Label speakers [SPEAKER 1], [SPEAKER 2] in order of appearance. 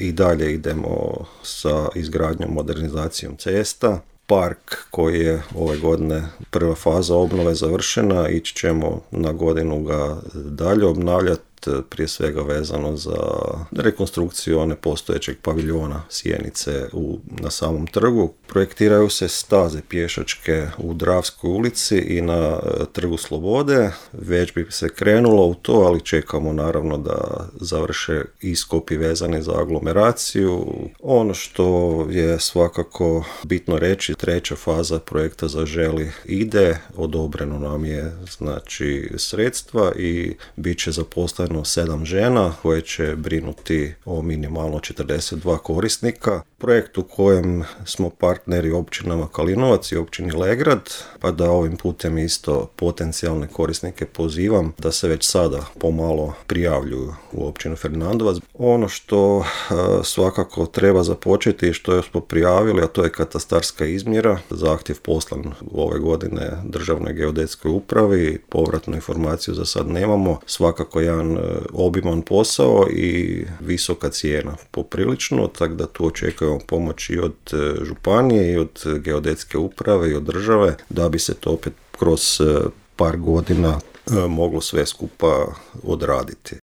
[SPEAKER 1] i dalje idemo sa izgradnjom, modernizacijom cesta. Park koji je ove godine prva faza obnove završena, ići ćemo na godinu ga dalje obnavljati, prije svega vezano za rekonstrukciju one postojećeg paviljona Sjenice na samom trgu. Projektiraju se staze pješačke u Dravskoj ulici i na Trgu Slobode. Već bi se krenulo u to, ali čekamo naravno da završe iskopi vezani za aglomeraciju. Ono što je svakako bitno reći, treća faza projekta Zaželi ide, odobreno nam je znači sredstva i bit će zaposleno 7 žena koje će brinuti o minimalno 42 korisnika. Projekt u kojem smo partneri općinama Kalinovac i općini Legrad, pa da ovim putem isto potencijalne korisnike pozivam da se već sada pomalo prijavljuju u općinu Fernandovac. Ono što svakako treba započeti i što smo prijavili, a to je katastarska izmjera. Zahtjev poslan ove godine Državnoj geodetskoj upravi, povratnu informaciju za sad nemamo. Svakako jedan obiman posao i visoka cijena poprilično, tako da tu očekujemo pomoć i od županije i od geodetske uprave i od države da bi se to opet kroz par godina moglo sve skupa odraditi.